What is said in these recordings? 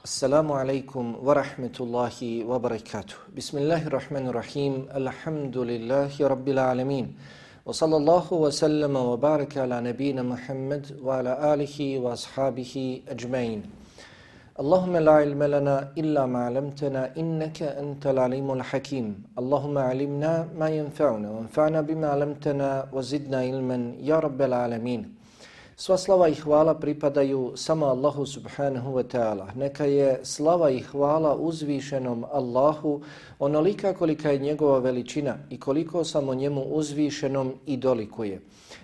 Assalamu alaikum wa rahmatullahi wa barakatuh. Bismillahirrahmanirrahim. Alhamdulillahi rabbil alamin. Wa sallallahu wa sallama wa baraka ala nabina Muhammad wa ala alihi wa ashabihi ajmain. Allahumma la ilma lana illa ma 'allamtana innaka antal alimul hakim. Allahumma 'allimna ma yanfa'una wanfa'na bima 'allamtana wa zidna ilman ya rabbal alamin. Sva slava i hvala pripadaju samo Allahu subhanahu wa ta'ala. Neka je slava i hvala uzvišenom Allahu onolika kolika je njegova veličina i koliko samo njemu uzvišenom i dolikuje.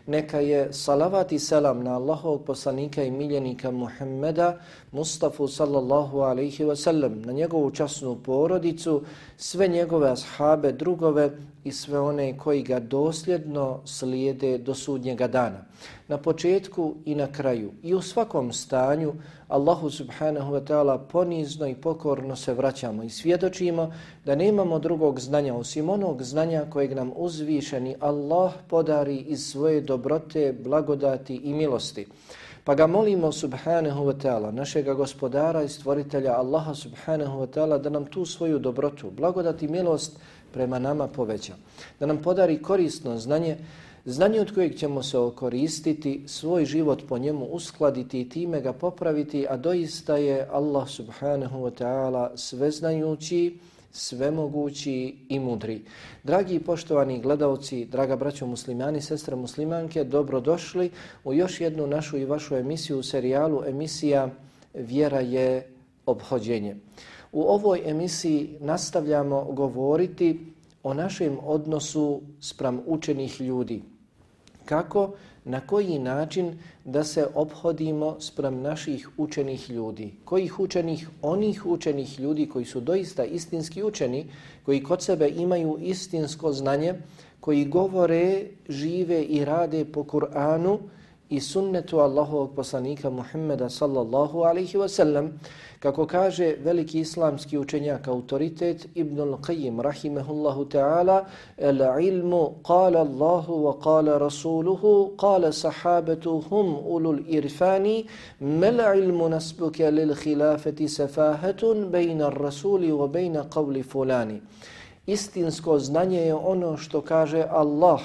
Neka je salavat i selam na Allahovog poslanika i miljenika Muhammeda Mustafa sallallahu alaihi wa sallam, na njegovu časnu porodicu, sve njegove ashabe, drugove i sve one koji ga dosljedno slijede do sudnjega dana. Na početku i na kraju i u svakom stanju Allahu subhanahu wa ta'ala ponizno i pokorno se vraćamo i svjedočimo da nemamo drugog znanja osim onog znanja kojeg nam uzvišeni Allah podari iz svoje dobrote, blagodati i milosti. Pa ga molimo subhanahu wa ta'ala, našega gospodara i stvoritelja Allaha subhanahu wa ta'ala, da nam tu svoju dobrotu, blagodat i milost prema nama poveća. Da nam podari korisno znanje od kojeg ćemo se okoristiti, svoj život po njemu uskladiti i time ga popraviti, a doista je Allah subhanahu wa ta'ala sveznajući, svemogući i mudri. Dragi i poštovani gledalci, draga braćo muslimani, sestre muslimanke, dobrodošli u još jednu našu i vašu emisiju u serijalu emisija Vjera je ophođenje. U ovoj emisiji nastavljamo govoriti o našem odnosu spram učenih ljudi. Kako, na koji način da se ophodimo spram naših učenih ljudi. Kojih učenih? Onih učenih ljudi koji su doista istinski učeni, koji kod sebe imaju istinsko znanje, koji govore, žive i rade po Kur'anu i sunnetu Allahovog poslanika Muhammeda sallallahu alaihi wa sallam. Kako kaže veliki islamski učenjak, autoritet Ibnul Qayyim rahimehullahu ta'ala, el-ilmu qala Allahu wa qala rasuluhu qala sahabatu hum ulul irfani mal ilmu nasbuka lil khilafati safahatun bayna ar-rasuli wa bayna qawli fulani. Istinsko znanje je ono što kaže Allah,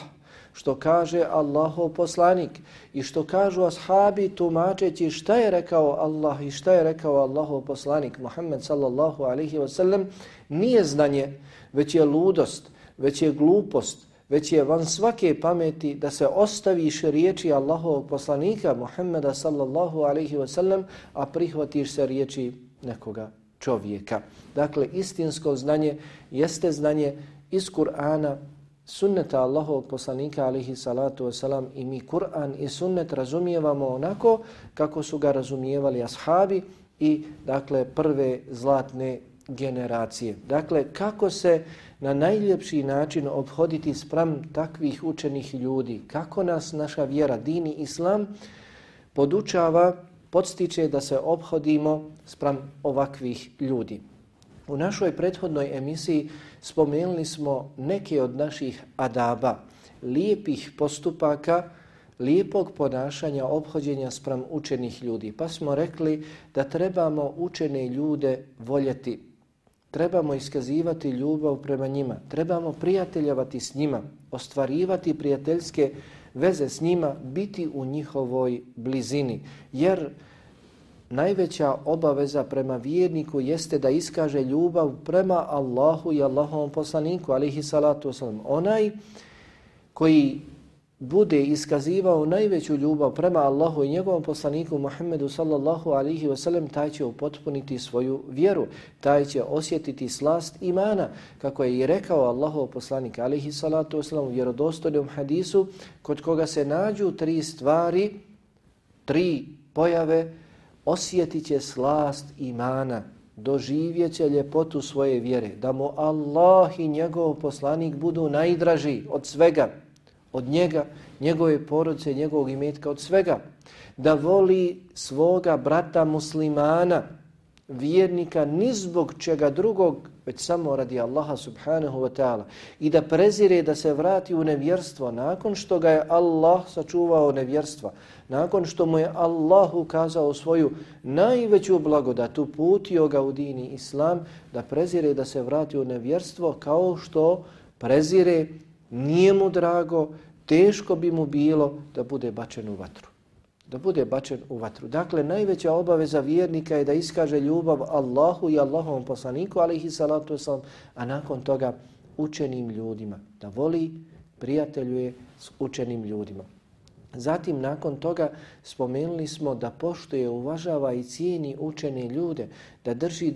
što kaže Allahov poslanik i što kažu ashabi tumačeći šta je rekao Allah i šta je rekao Allahov poslanik Muhammed sallallahu alaihi wa sallam, nije znanje, već je ludost, već je glupost, već je van svake pameti da se ostaviš riječi Allahovog poslanika Muhammeda sallallahu alaihi wa sallam, a prihvatiš se riječi nekoga čovjeka. Dakle, istinsko znanje jeste znanje iz Kur'ana, sunneta Allahovog poslanika alaihi salatu wasalam, i mi Kur'an i sunnet razumijevamo onako kako su ga razumijevali ashabi i dakle prve zlatne generacije. Dakle, kako se na najljepši način ophoditi spram takvih učenih ljudi, kako nas naša vjera, din i islam podučava, podstiče da se ophodimo spram ovakvih ljudi. U našoj prethodnoj emisiji spomenuli smo neke od naših adaba, lijepih postupaka, lijepog ponašanja, ophođenja spram učenih ljudi. Pa smo rekli da trebamo učene ljude voljeti, trebamo iskazivati ljubav prema njima, trebamo prijateljavati s njima, ostvarivati prijateljske veze s njima, biti u njihovoj blizini, jer najveća obaveza prema vjerniku jeste da iskaže ljubav prema Allahu i Allahovom poslaniku, alaihi salatu wasalam. Onaj koji bude iskazivao najveću ljubav prema Allahu i njegovom poslaniku Muhammedu sallallahu alaihi wasalam, taj će upotpuniti svoju vjeru, taj će osjetiti slast imana, kako je i rekao Allahov poslanik alaihi salatu wasalam u vjerodostojnom hadisu, kod koga se nađu tri stvari, tri pojave, osjetit će slast imana, doživjet će ljepotu svoje vjere, da mu Allah i njegov poslanik budu najdraži od svega, od njega, njegove porodice, njegovog imetka, od svega, da voli svoga brata muslimana vjernika ni zbog čega drugog, već samo radi Allaha subhanahu wa ta'ala i da prezire da se vrati u nevjerstvo nakon što ga je Allah sačuvao nevjerstva, nakon što mu je Allah ukazao svoju najveću blagodat, uputio ga u dini Islam, da prezire da se vrati u nevjerstvo kao što prezire, nije mu drago, teško bi mu bilo da bude bačen u vatru. Da bude bačen u vatru. Dakle, najveća obaveza vjernika je da iskaže ljubav Allahu i Allahovom poslaniku, alejhi salatu vesselam, a nakon toga učenim ljudima. Da voli, prijateljuje s učenim ljudima. Zatim, nakon toga, spomenuli smo da poštuje, uvažava i cijeni učene ljude, da drži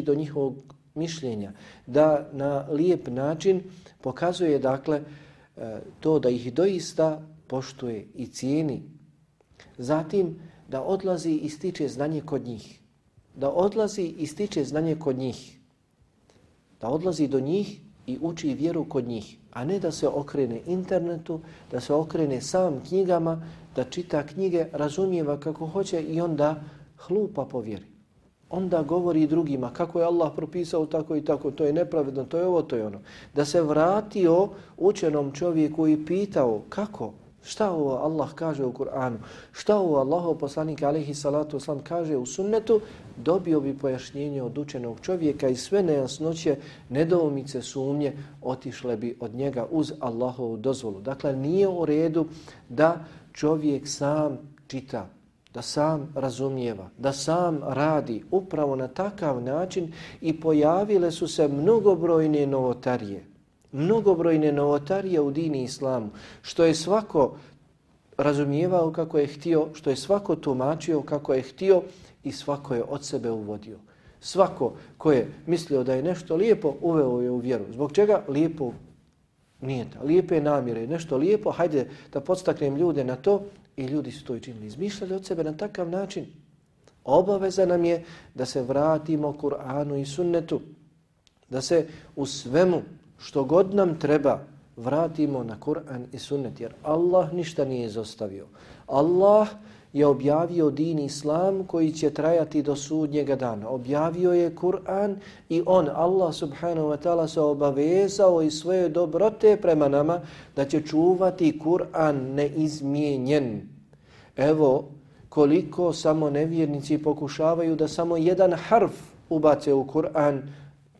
do njihovog mišljenja, da na lijep način pokazuje, dakle, to da ih doista poštuje i cijeni. Zatim, da odlazi i stiče znanje kod njih. Da odlazi i stiče znanje kod njih. Da odlazi do njih i uči vjeru kod njih, a ne da se okrene internetu, da se okrene sam knjigama, da čita knjige, razumijeva kako hoće i onda hlupa po vjeri. Onda govori drugima kako je Allah propisao tako i tako, to je nepravedno, to je ovo, to je ono. Da se vratio učenom čovjeku i pitao kako, šta ovo Allah kaže u Kur'anu, šta ovo Allahov poslanik alejhi salatu vesselam kaže u sunnetu, dobio bi pojašnjenje od učenog čovjeka i sve nejasnoće, nedoumice, sumnje otišle bi od njega uz Allahovu dozvolu. Dakle, nije u redu da čovjek sam čita, da sam razumijeva, da sam radi upravo na takav način i pojavile su se mnogobrojne novotarije u dini Islamu, što je svako razumijevao kako je htio, što je svako tumačio kako je htio i svako je od sebe uvodio. Svako ko je mislio da je nešto lijepo, uveo je u vjeru. Zbog čega? Lijepo nijeta, lijepe namjere, nešto lijepo, hajde da podstaknem ljude na to, i ljudi su to i činili. Izmišljali od sebe na takav način. Obaveza nam je da se vratimo Kur'anu i sunnetu, da se u svemu što god nam treba vratimo na Kur'an i sunnet, jer Allah ništa nije izostavio. Allah je objavio din Islam koji će trajati do sudnjega dana. Objavio je Kur'an i Allah subhanahu wa ta'ala se obavezao i svoje dobrote prema nama da će čuvati Kur'an neizmijenjen. Evo koliko samo nevjernici pokušavaju da samo jedan harf ubace u Kur'an,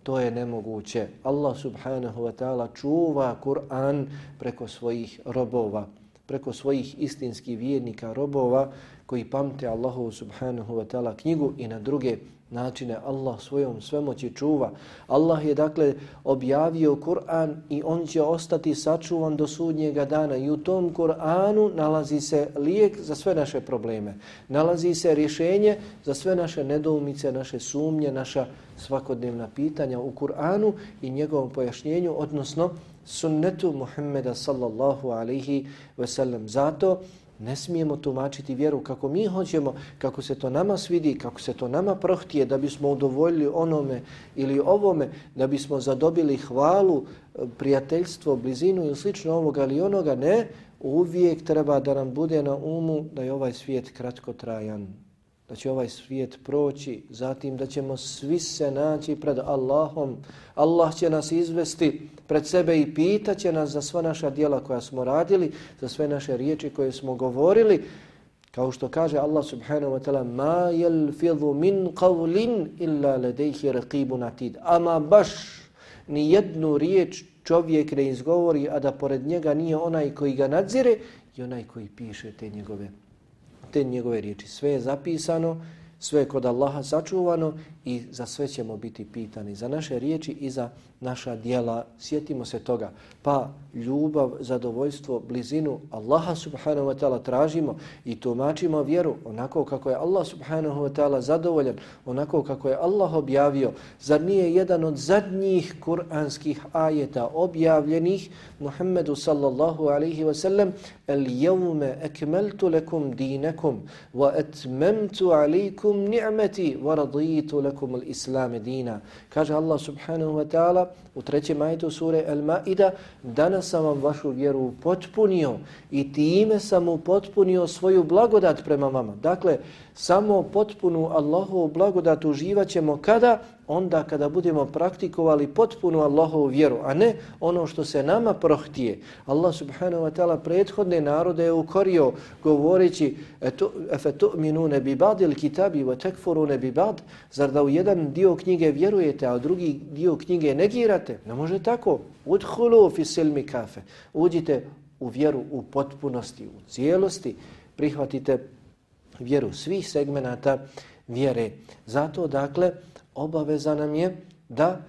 to je nemoguće. Allah subhanahu wa ta'ala čuva Kur'an preko svojih robova, preko svojih istinskih vjernika robova koji pamte Allahu subhanahu wa ta'ala knjigu i na druge načine Allah svojom svemoći čuva. Allah je dakle objavio Kur'an i on će ostati sačuvan do sudnjega dana i u tom Kur'anu nalazi se lijek za sve naše probleme. Nalazi se rješenje za sve naše nedoumice, naše sumnje, naša svakodnevna pitanja u Kur'anu i njegovom pojašnjenju, odnosno sunnetu Muhammeda sallallahu alaihi ve sellem. Zato ne smijemo tumačiti vjeru kako mi hoćemo, kako se to nama svidi, kako se to nama prohtije, da bismo udovoljili onome ili ovome, da bismo zadobili hvalu, prijateljstvo, blizinu ili slično ovoga ili onoga. Ne, uvijek treba da nam bude na umu da je ovaj svijet kratkotrajan, da će ovaj svijet proći, zatim da ćemo svi se naći pred Allahom. Allah će nas izvesti pred sebe i pitat će nas za sva naša djela koja smo radili, za sve naše riječi koje smo govorili. Kao što kaže Allah subhanahu wa ta'ala, ma yalfidhu min qawlin illa ladayhi raqibun atid. Ama baš ni jednu riječ čovjek ne izgovori, a da pored njega nije onaj koji ga nadzire i onaj koji piše te njegove riječi. Sve je zapisano, sve je kod Allaha sačuvano i za sve ćemo biti pitani. Za naše riječi i za naša djela. Sjetimo se toga. Pa ljubav, zadovoljstvo, blizinu Allaha subhanahu wa ta'ala tražimo i tumačimo vjeru onako kako je Allah subhanahu wa ta'ala zadovoljan, onako kako je Allah objavio. Zar nije jedan od zadnjih kuranskih ajeta objavljenih Muhammedu sallallahu alaihi wa sallam: El jevme ekmeltu lekum dinekum wa etmemtu alaikum ni'meti wa raditu lakum al-islam dina. Kaže Allah subhanahu wa ta'ala u 3. ajetu sure Al-Maida, danas sam vam vašu vjeru upotpunio i time sam upotpunio svoju blagodat prema vama. Dakle, samo potpunu Allahovu blagodat uživat ćemo kada? Onda kada budemo praktikovali potpunu Allahovu vjeru, a ne ono što se nama prohtije. Allah subhanahu wa ta'ala prethodne narode je ukorio govoreći afatu'minuna bi ba'dil kitabi wa takfuruna bi ba'd, zar da u jedan dio knjige vjerujete, a u drugi dio knjige negirate? Ne može tako. Udkhulu fi silmi kafe. Uđite u vjeru u potpunosti, u cijelosti, prihvatite vjeru svih segmenata vjere. Zato dakle obaveza nam je da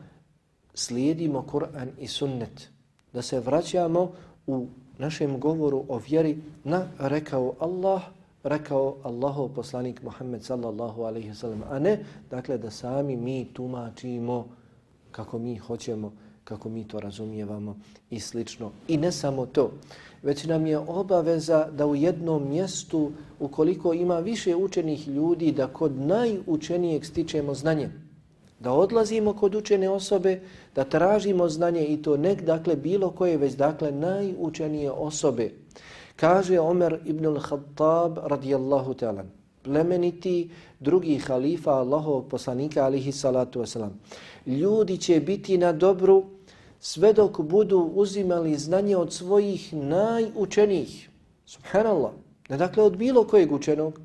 slijedimo Kur'an i sunnet, da se vraćamo u našem govoru o vjeri na rekao Allah, rekao Allahov poslanik Muhammed sallallahu alaihi wasallam, a ne dakle da sami mi tumačimo kako mi hoćemo, kako mi to razumijevamo i slično. I ne samo to, već nam je obaveza da u jednom mjestu, ukoliko ima više učenih ljudi, da kod najučenijeg stičemo znanje. Da odlazimo kod učene osobe, da tražimo znanje i to ne dakle bilo koje, već dakle najučenije osobe. Kaže Omer ibn al-Khattab radijallahu ta'ala, plemeniti drugi halifa Allahovog poslanika alihi salatu wasalam. Ljudi će biti na dobru sve dok budu uzimali znanje od svojih najučenijih. Subhanallah. Ne dakle od bilo kojeg učenog,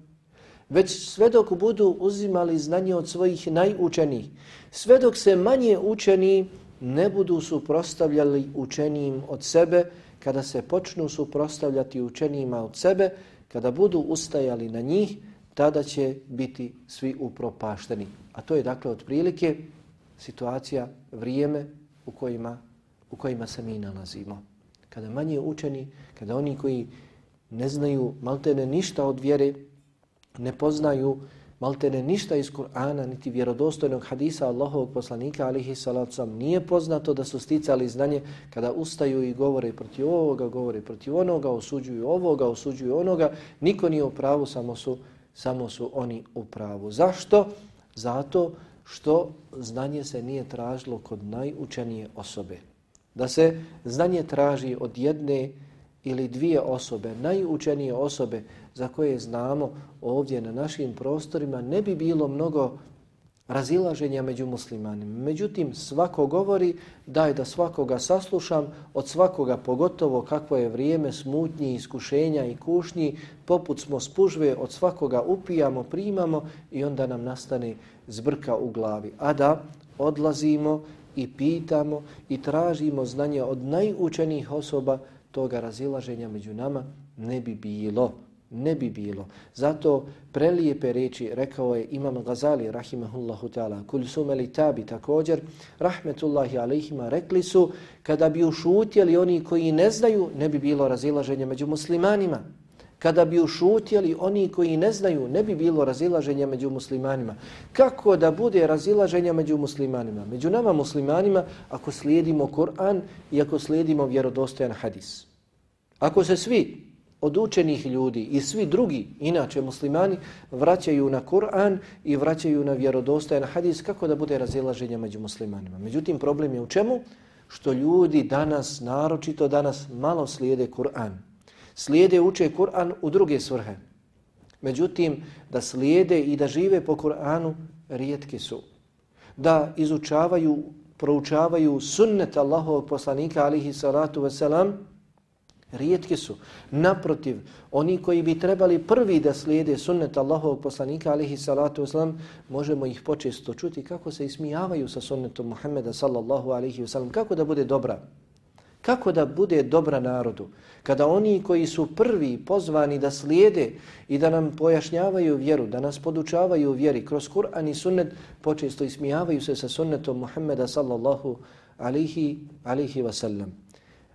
već sve dok budu uzimali znanje od svojih najučenijih. Sve dok se manje učeni ne budu suprotstavljali učenijim od sebe, kada se počnu suprotstavljati učenijima od sebe, kada budu ustajali na njih, tada će biti svi upropašteni. A to je dakle otprilike situacija, vrijeme u kojima se mi nalazimo. Kada manje učeni, kada oni koji ne znaju maltene ništa od vjere, ne poznaju maltene ništa iz Kur'ana, niti vjerodostojnog hadisa Allahovog poslanika, alihi salatu sallam, nije poznato da su sticali znanje, kada ustaju i govore protiv ovoga, govore protiv onoga, osuđuju ovoga, osuđuju onoga, niko nije u pravu, samo su oni u pravu. Zašto? Zato što znanje se nije tražilo kod najučenije osobe. Da se znanje traži od jedne ili dvije osobe, najučenije osobe za koje znamo ovdje na našim prostorima, ne bi bilo mnogo razilaženja među muslimanima. Međutim, svako govori daj da svakoga saslušam, od svakoga pogotovo kakvo je vrijeme smutnji, iskušenja i kušnji, poput smo spužve, od svakoga upijamo, primamo i onda nam nastane zbrka u glavi. A da odlazimo i pitamo i tražimo znanje od najučenijih osoba, toga razilaženja među nama ne bi bilo. Ne bi bilo. Zato prelijepe riječi rekao je Imam Gazali rahimahullahu ta'ala, Kulsum el-Tabi također, rahmetullahi alejhima, rekli su kada bi ušutjeli oni koji ne znaju, ne bi bilo razilaženja među muslimanima. Kada bi ušutjeli oni koji ne znaju, ne bi bilo razilaženja među muslimanima. Kako da bude razilaženja među muslimanima? Među nama muslimanima ako slijedimo Kur'an i ako slijedimo vjerodostojan hadis. Ako se svi od učenih ljudi i svi drugi, inače muslimani, vraćaju na Kur'an i vraćaju na vjerodostojan hadis, kako da bude razilaženja među muslimanima? Međutim, problem je u čemu? Što ljudi danas, naročito danas, malo slijede Kur'an. Slijede, uče Kur'an u druge svrhe. Međutim, da slijede i da žive po Kur'anu, rijetki su. Da izučavaju, proučavaju sunnet Allahovog poslanika, alihi salatu wasalam, rijetki su. Naprotiv, oni koji bi trebali prvi da slijede sunnet Allahovog poslanika, alihi salatu wasalam, možemo ih počesto čuti kako se ismijavaju sa sunnetom Muhammeda sallallahu alihi wasalam. Kako da bude dobra? Kako da bude dobra narodu? Kada oni koji su prvi pozvani da slijede i da nam pojašnjavaju vjeru, da nas podučavaju vjeri kroz Kur'an i sunnet, počesto ismijavaju se sa sunnetom Muhammeda sallallahu alihi wasallam.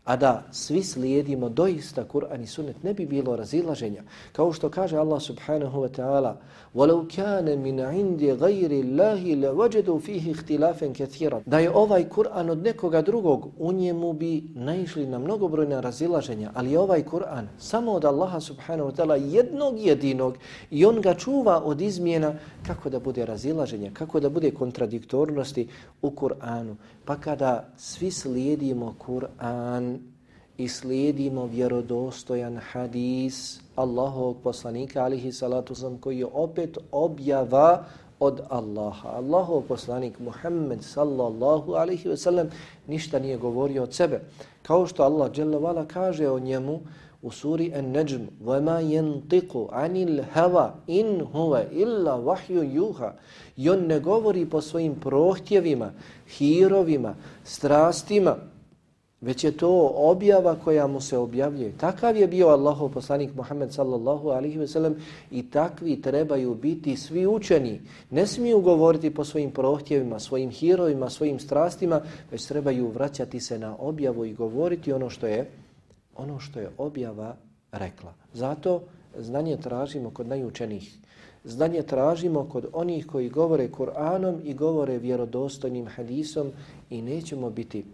A da svi slijedimo doista Kur'an i sunnet, ne bi bilo razilaženja. Kao što kaže Allah subhanahu wa ta'ala وَلَوْ كَانَ مِنْ عِنْدِ غَيْرِ اللَّهِ لَوَجَدُوا فِيهِ اخْتِلَافًا كَثِيرًا. Da je ovaj Kur'an od nekoga drugog, u njemu bi naišli na mnogobrojna razilaženja, ali je ovaj Kur'an samo od Allaha subhanahu wa ta'ala jednog jedinog i on ga čuva od izmjena. Kako da bude razilaženja, kako da bude kontradiktornosti u Kur'anu. Pa kada svi slijedimo Kur'an i slijedimo vjerodostojan hadis Allahovog poslanika alihi salatu wasalam, koji je opet objava od Allaha. Allahov poslanik Muhammed sallallahu alihi wasallam ništa nije govorio od sebe. Kao što Allah dželle vala kaže o njemu u suri An-Najm: وَمَا يَنْطِقُ عَنِ الْهَوَا إِنْ هُوَ إِلَّا وَحْيٌ يُوحَى. I on ne govori po svojim prohtjevima, hirovima, strastima, već je to objava koja mu se objavljuje. Takav je bio Allahov poslanik Muhammed sallallahu alaihi ve sellem i takvi trebaju biti svi učeni. Ne smiju govoriti po svojim prohtjevima, svojim hirovima, svojim strastima, već trebaju vraćati se na objavu i govoriti ono što je objava rekla. Zato znanje tražimo kod najučenijih. Znanje tražimo kod onih koji govore Kur'anom i govore vjerodostojnim hadisom i nećemo biti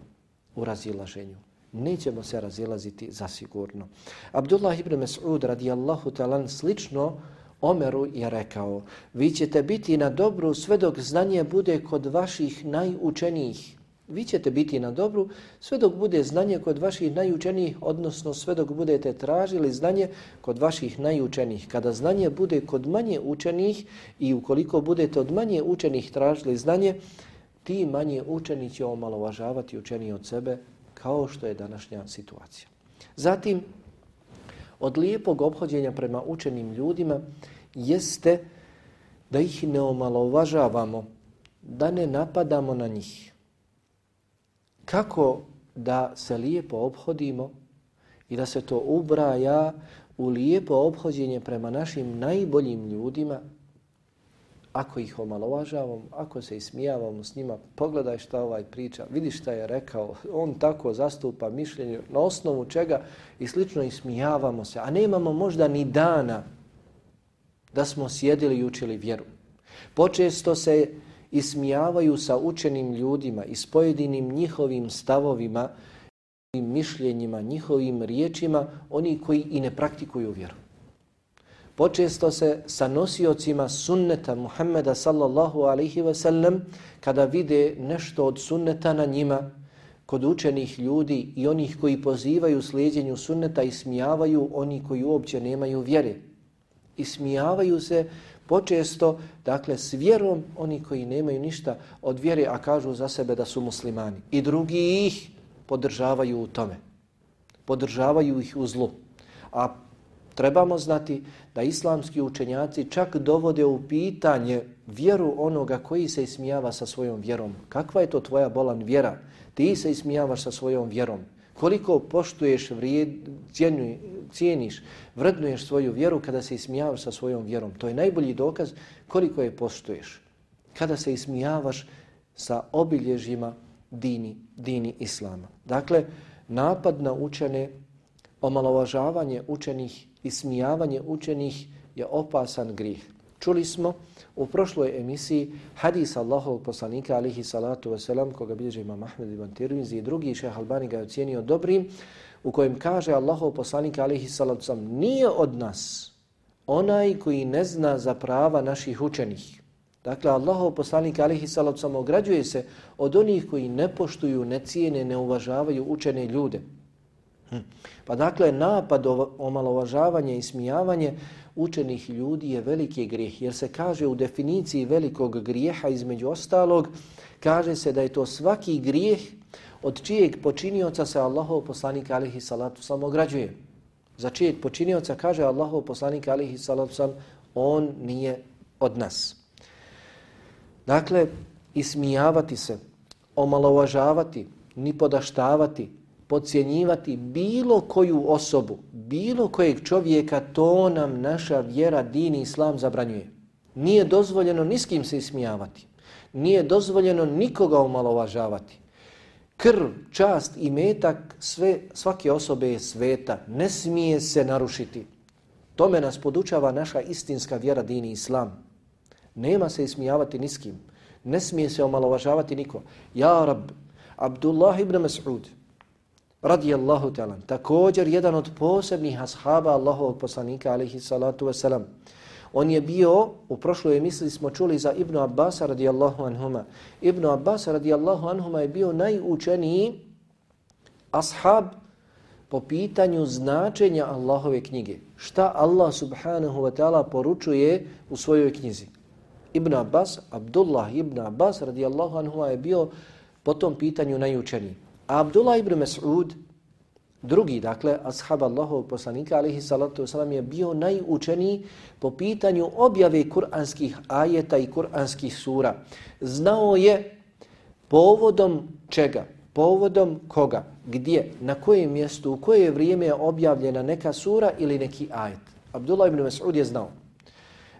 u razilaženju. Nećemo se razilaziti zasigurno. Abdullah ibn Mas'ud radijallahu ta'ala slično Omeru je rekao: vi ćete biti na dobru sve dok znanje bude kod vaših najučenijih. Vi ćete biti na dobru sve dok bude znanje kod vaših najučenijih, odnosno sve dok budete tražili znanje kod vaših najučenijih. Kada znanje bude kod manje učenih i ukoliko budete od manje učenih tražili znanje, ti manje učeni će omalovažavati učeniji od sebe, kao što je današnja situacija. Zatim, od lijepog ophođenja prema učenim ljudima jeste da ih ne omalovažavamo, da ne napadamo na njih. Kako da se lijepo ophodimo i da se to ubraja u lijepo ophođenje prema našim najboljim ljudima? Ako ih omalovažavamo, ako se ismijavamo s njima, pogledaj šta ovaj priča, vidi šta je rekao, on tako zastupa mišljenje, na osnovu čega i slično ismijavamo se, a nemamo možda ni dana da smo sjedili i učili vjeru. Počesto se ismijavaju sa učenim ljudima i s pojedinim njihovim stavovima, mišljenjima, njihovim riječima, oni koji i ne praktikuju vjeru. Počesto se sa nosiocima sunneta Muhammeda sallallahu alaihi ve sellem, kada vide nešto od sunneta na njima, kod učenih ljudi i onih koji pozivaju slijedjenju sunneta, ismijavaju oni koji uopće nemaju vjere. Ismijavaju se počesto, dakle, s vjerom oni koji nemaju ništa od vjere, a kažu za sebe da su muslimani. I drugi ih podržavaju u tome. Podržavaju ih u zlu. A trebamo znati da islamski učenjaci čak dovode u pitanje vjeru onoga koji se ismijava sa svojom vjerom. Kakva je to tvoja bolan vjera? Ti se ismijavaš sa svojom vjerom. Koliko poštuješ, cijeniš, vrednuješ svoju vjeru kada se ismijavaš sa svojom vjerom. To je najbolji dokaz koliko je poštuješ. Kada se ismijavaš sa obilježjima dini islama. Dakle, napad na učene, omalovažavanje učenih, ismijavanje učenih je opasan grijeh. Čuli smo u prošloj emisiji hadis Allahovog poslanika alihi salatu wasalam, koga bilježi Imam Ahmed ibn Tirmizi i drugi, Šejh Albani ga je ocijenio dobrim, u kojem kaže Allahov poslanik alihi salatu wasalam: nije od nas onaj koji ne zna za prava naših učenih. Dakle, Allahov poslanik alihi salatu wasalam ograđuje se od onih koji ne poštuju, ne cijene, ne uvažavaju učene ljude. Pa dakle, napad, omalovažavanje i smijavanje učenih ljudi je veliki grijeh, jer se kaže u definiciji velikog grijeha, između ostalog, kaže se da je to svaki grijeh od čijeg počinioca se Allahov poslanik alihi salatu wasalam ograđuje. Za čijeg počinioca kaže Allahov poslanik alihi salatu wasalam: on nije od nas. Dakle, ismijavati se, omalovažavati, nipodaštavati, podcjenjivati bilo koju osobu, bilo kojeg čovjeka, to nam naša vjera, din i islam zabranjuje. Nije dozvoljeno ni s kim se ismijavati. Nije dozvoljeno nikoga omalovažavati. krv, čast i metak svake osobe je sveta. Ne smije se narušiti. Tome nas podučava naša istinska vjera, din i islam. Nema se ismijavati ni s kim. Ne smije se omalovažavati niko. Ja Rab, Abdullah ibn Mas'ud, radijallahu ta'ala, također jedan od posebnih ashaba Allahovog poslanika, alaihi salatu wasalam. On je bio, u prošloj emisiji smo čuli za Ibnu Abbasa radijallahu anhuma. Ibnu Abbasa radijallahu anhuma je bio najučeniji ashab po pitanju značenja Allahove knjige. Šta Allah subhanahu wa ta'ala poručuje u svojoj knjizi. Ibn Abbas, Abdullah ibn Abbas radijallahu anhuma je bio po tom pitanju najučeniji. A Abdullah ibn Mas'ud, drugi, dakle, ashab Allahovog poslanika, alaihi salatu wasalam, je bio najučeniji po pitanju objave kuranskih ajeta i kuranskih sura. Znao je povodom čega, povodom koga, gdje, na kojem mjestu, u koje vrijeme je objavljena neka sura ili neki ajet. Abdullah ibn Mas'ud je znao.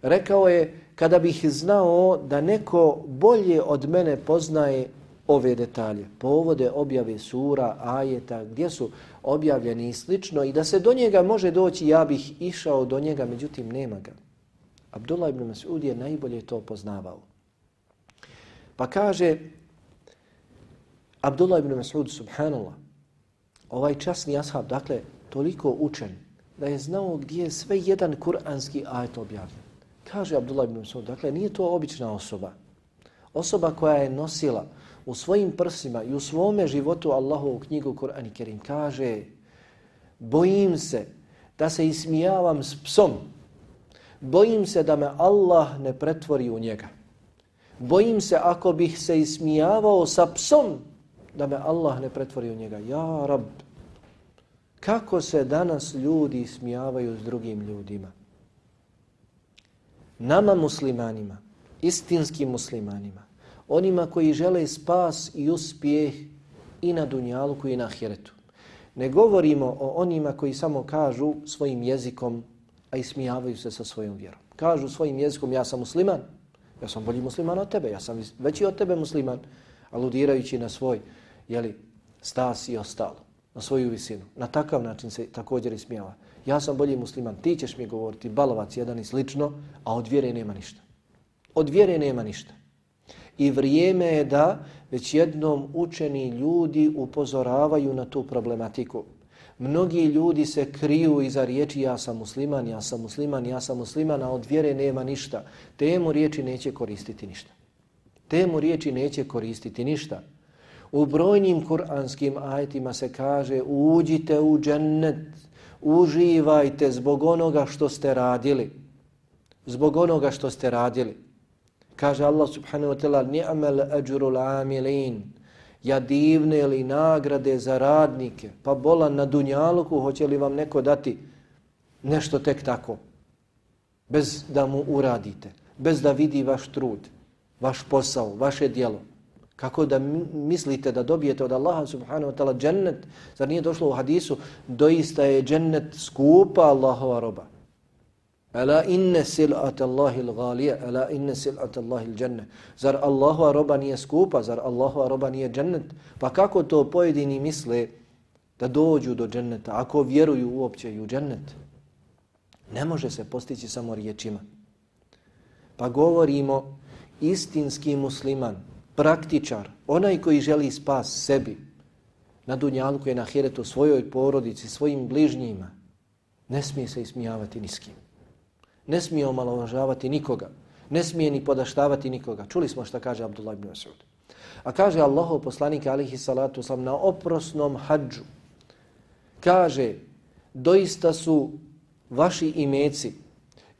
Rekao je, kada bih znao da neko bolje od mene poznaje ove detalje, povode objave sura, ajeta, gdje su objavljeni i slično, i da se do njega može doći, ja bih išao do njega, međutim nema ga. Abdullah ibn Mas'ud je najbolje to poznavao. Pa kaže Abdullah ibn Mas'ud, subhanallah, ovaj časni ashab, dakle, toliko učen, da je znao gdje je sve jedan kuranski ajet objavljen. Kaže Abdullah ibn Mas'ud, dakle, nije to obična osoba. Osoba koja je nosila u svojim prsima i u svome životu Allahovu knjigu Kur'an i Kerim. Kaže, bojim se da se ismijavam s psom. Bojim se da me Allah ne pretvori u njega. Bojim se ako bih se ismijavao sa psom, da me Allah ne pretvori u njega. Ja Rab, kako se danas ljudi ismijavaju s drugim ljudima? Nama muslimanima, istinskim muslimanima, onima koji žele spas i uspjeh i na dunjaluku i na ahiretu. Ne govorimo o onima koji samo kažu svojim jezikom, a ismijavaju se sa svojom vjerom. Kažu svojim jezikom, ja sam musliman, ja sam bolji musliman od tebe, ja sam veći od tebe musliman, aludirajući na svoj stas i ostalo, na svoju visinu. Na takav način se također ismijava. Ja sam bolji musliman, ti ćeš mi govoriti, balovac jedan i slično, a od vjere nema ništa. Od vjere nema ništa. I vrijeme je da već jednom učeni ljudi upozoravaju na tu problematiku. Mnogi ljudi se kriju iza riječi ja sam musliman, ja sam musliman, ja sam musliman, a od vjere nema ništa. Temu riječi neće koristiti ništa. Temu riječi neće koristiti ništa. U brojnim kuranskim ajetima se kaže uđite u džennet, uživajte zbog onoga što ste radili. Zbog onoga što ste radili. Kaže Allah subhanahu wa ta'ala ni'mal ajrul amilin. Ja divne li nagrade za radnike. Pa bolan na dunjaluku, hoće li vam neko dati nešto tek tako? Bez da mu uradite. Bez da vidi vaš trud, vaš posao, vaše djelo. Kako da mislite da dobijete od Allaha subhanahu wa ta'ala džennet? Zar nije došlo u hadisu? Doista je džennet skupa Allahova roba. Ala inne sil'at Allahil ghalija, ala inne sil'at Allahil dženne. Zar Allahova roba nije skupa, zar Allahova roba nije džennet? Pa kako to pojedini misle da dođu do dženneta, ako vjeruju uopće i u džennet? Ne može se postići samo riječima. Pa govorimo istinski musliman, praktičar, onaj koji želi spas sebi, na dunjalku i na ahiretu, svojoj porodici, svojim bližnjima, ne smije se ismijavati ni s kim. Ne smije omalovažavati nikoga. Ne smije ni podaštavati nikoga. Čuli smo šta kaže Abdullah ibn Mas'ud. A kaže Allahov poslanik alejhi salatu vesselam na oprosnom hadžu. Kaže, doista su vaši imeci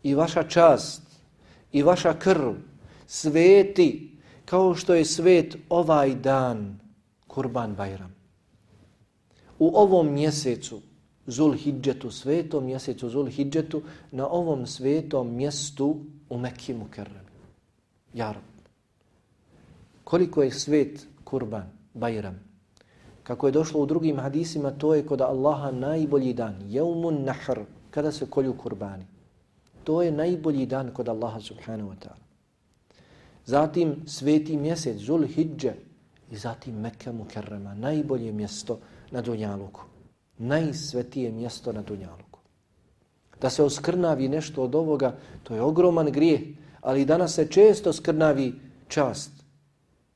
i vaša čast i vaša krv sveti kao što je svet ovaj dan Kurban Bajram. U ovom mjesecu Zulhidžetu, svetom mjesecu Zulhidžetu, na ovom svetom mjestu u Mekki Mukerremi. Ja Rab, koliko je svet Kurban, Bajram. Kako je došlo u drugim hadisima, to je kod Allaha najbolji dan, Jeumun Nahr, kada se kolju kurbani. To je najbolji dan kod Allaha subhanahu wa ta'ala. Zatim sveti mjesec Zulhidže, i zatim Mekke Mukerrema, najbolje mjesto na Dunjaluku, najsvetije mjesto na Dunjaluku. Da se oskrnavi nešto od ovoga, to je ogroman grijeh, ali danas se često skrnavi čast.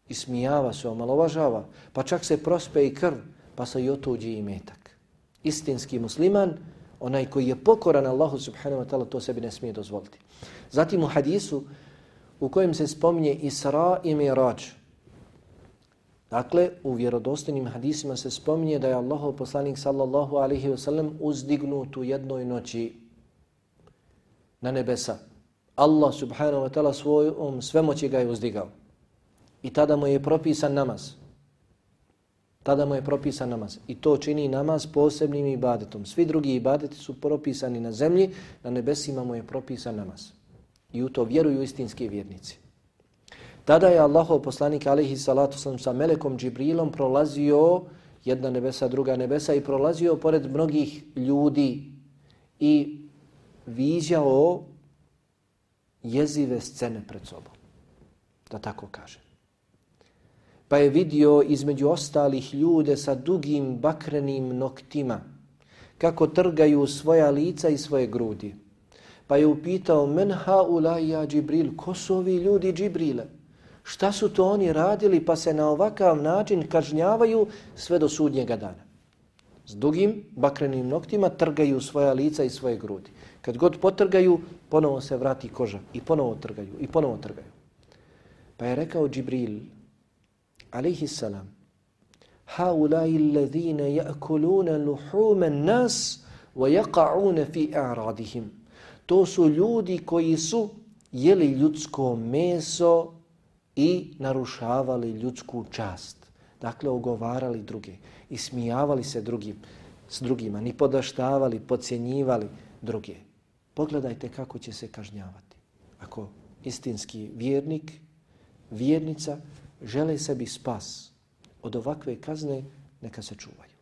Ismijava se, omalovažava, pa čak se prospe i krv, pa se i otuđi imetak. Istinski musliman, onaj koji je pokoran Allahu subhanahu wa ta'ala, to sebi ne smije dozvoliti. Zatim u hadisu u kojem se spominje Isra i Mirađ. Dakle, u vjerodostojnim hadisima se spominje da je Allahov poslanik sallallahu alaihi wa sallam uzdignut u jednoj noći na nebesa. Allah subhanahu wa ta'ala svojom svemoći ga je uzdigao. I tada mu je propisan namaz. Tada mu je propisan namaz. I to čini namaz posebnim ibadetom. Svi drugi ibadeti su propisani na zemlji, na nebesima mu je propisan namaz. I u to vjeruju istinski vjernici. Tada je Allahov poslanik alejhi salatu vesselam sa melekom Džibrilom prolazio jedna nebesa, druga nebesa i prolazio pored mnogih ljudi i viđao jezive scene pred sobom. Da tako kaže. Pa je vidio između ostalih ljude sa dugim bakrenim noktima kako trgaju svoja lica i svoje grudi. Pa je upitao, men haulai ja Džibril, ko su ovi ljudi Džibrile? Šta su to oni radili pa se na ovakav način kažnjavaju sve do sudnjega dana? S dugim bakrenim noktima trgaju svoja lica i svoje grudi. Kad god potrgaju, ponovo se vrati koža i ponovo trgaju i ponovo trgaju. Pa je rekao Džibril, alejhi salam, haulai alladhina ya'kuluna luhuma an-nas wa yaqa'una fi a'radihim. To su ljudi koji su jeli ljudsko meso i narušavali ljudsku čast. Dakle, ogovarali druge, ismijavali se s drugima, ni podaštavali, podcjenjivali druge. Pogledajte kako će se kažnjavati. Ako istinski vjernik, vjernica žele sebi spas od ovakve kazne, neka se čuvaju.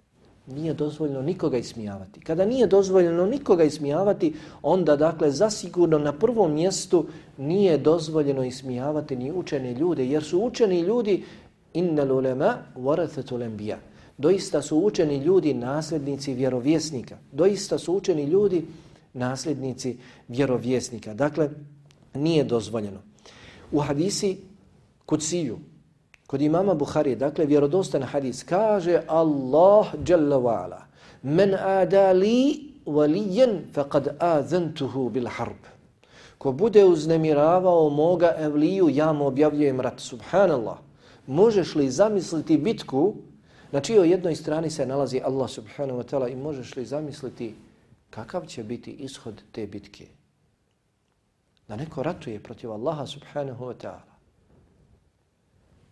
Nije dozvoljeno nikoga ismijavati. Kada nije dozvoljeno nikoga ismijavati, onda dakle zasigurno na prvom mjestu nije dozvoljeno ismijavati ni učene ljude, jer su učeni ljudi innal ulema warathatul anbiya. Doista su učeni ljudi nasljednici vjerovjesnika. Doista su učeni ljudi nasljednici vjerovjesnika. Dakle, nije dozvoljeno. U hadisi Kudsiju, kod imama Buharije, dakle vjerodostan hadis, kaže Allah jalla wa ala, men adali waliyan faqad azantuhu bil harb. Ko bude uznemiravao moga evliju, ja mu objavljujem rat. Subhanallah. Možeš li zamisliti bitku na čijoj jednoj strani se nalazi Allah subhanahu wa ta'ala i možeš li zamisliti kakav će biti ishod te bitke? Da neko ratuje protiv Allaha subhanahu wa ta'ala.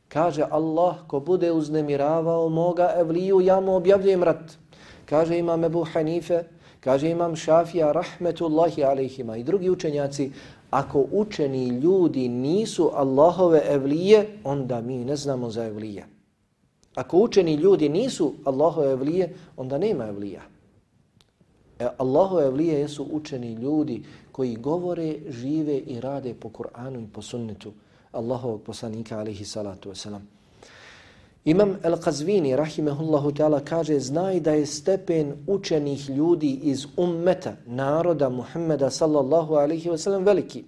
Kaže Allah, ko bude uznemiravao moga evliju, ja mu objavljujem rat. Kaže imam Ebu Hanife, kaže imam Šafija, rahmetullahi alejhima i drugi učenjaci, ako učeni ljudi nisu Allahove evlije, onda mi ne znamo za evlije. Ako učeni ljudi nisu Allahove evlije, onda nema evlija. Allahove evlije jesu učeni ljudi koji govore, žive i rade po Kur'anu i po sunnetu Allahovog poslanika alejhi salatu wasalam. Imam Al-Qazvini rahimehullahu ta'ala kaže, znaj da je stepen učenih ljudi iz ummeta, naroda Muhammeda sallallahu alejhi wasalam veliki.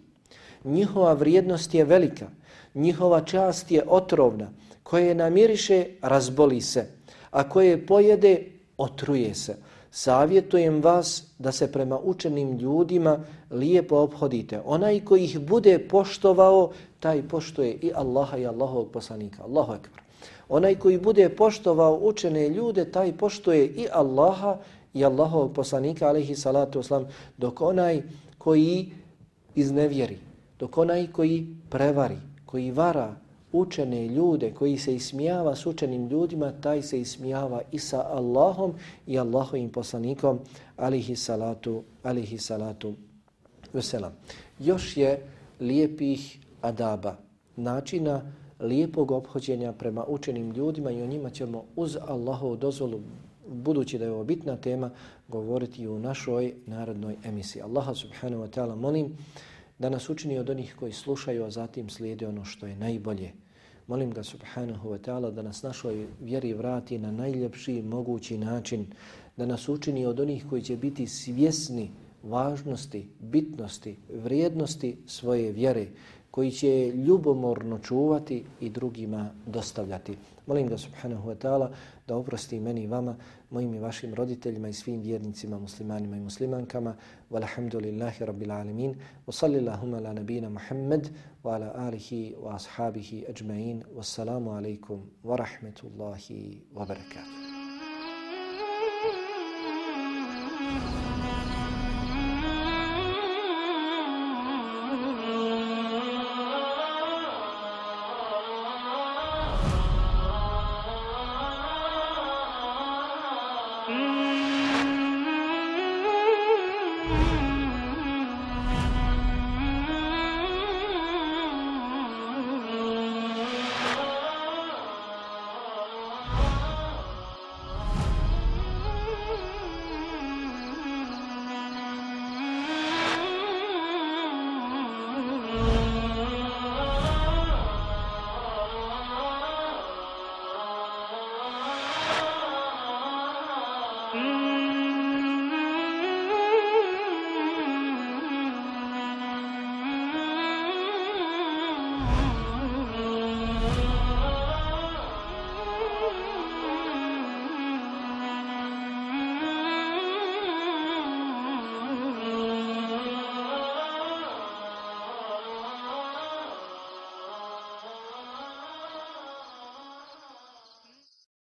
Njihova vrijednost je velika, njihova čast je otrovna, koje namiriše razboli se, a koje pojede otruje se. Savjetujem vas da se prema učenim ljudima lijepo ophodite. Onaj koji ih bude poštovao, taj poštuje i Allaha i Allahovog poslanika. Allahu ekber. Onaj koji bude poštovao učene ljude, taj poštuje i Allaha i Allahovog poslanika, alejhi salatu vesselam, dok onaj koji iznevjeri, dok onaj koji prevari, koji vara učene ljude, koji se ismijava s učenim ljudima, taj se ismijava i sa Allahom i Allahovim poslanikom, alejhi salatu vesselam. Još je lijepih adaba, načina lijepog ophođenja prema učenim ljudima i o njima ćemo uz Allahovu dozvolu, budući da je ovo bitna tema, govoriti i u našoj narodnoj emisiji. Allaha subhanahu wa ta'ala molim da nas učini od onih koji slušaju, a zatim slijede ono što je najbolje, Molim ga subhanahu wa ta'ala da nas našoj vjeri vrati na najljepši mogući način, da nas učini od onih koji će biti svjesni važnosti, bitnosti, vrijednosti svoje vjere, koji će ljubomorno čuvati i drugima dostavljati. Molim ga subhanahu wa ta'ala da oprosti meni i vama, mojim i vašim roditeljima i svim vjernicima, muslimanima i muslimankama. Walhamdulillahi rabbil alamin. Wa sallillahumma ala nabina Muhammad wa ala alihi wa ashabihi ajma'in. Wassalamu alaikum wa rahmatullahi wa barakatuh.